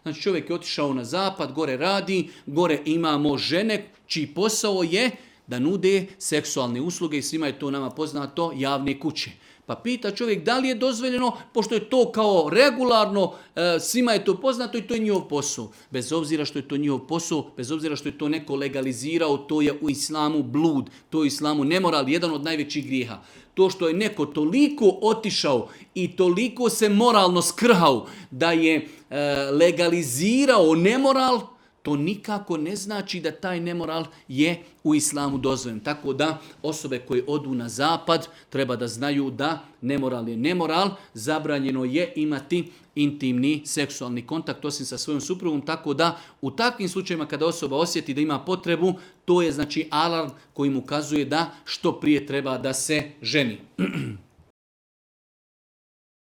Znači čovjek je otišao na zapad, gore radi, gore imamo žene čiji posao je da nude seksualne usluge i svima je to nama poznato, javne kuće. Pa pita čovjek da li je dozvoljeno, pošto je to kao regularno, svima je to poznato i to je njihov posao. Bez obzira što je to njihov posao, bez obzira što je to neko legalizirao, to je u islamu blud, to je u islamu nemoral, jedan od najvećih grijeha. To što je neko toliko otišao i toliko se moralno skrhao da je legalizirao nemoral, to nikako ne znači da taj nemoral je u islamu dozvoljen. Tako da osobe koje odu na zapad treba da znaju da nemoral je nemoral, zabranjeno je imati intimni seksualni kontakt osim sa svojom suprugom, tako da u takvim slučajevima kada osoba osjeti da ima potrebu, to je znači alarm koji mu ukazuje da što prije treba da se ženi.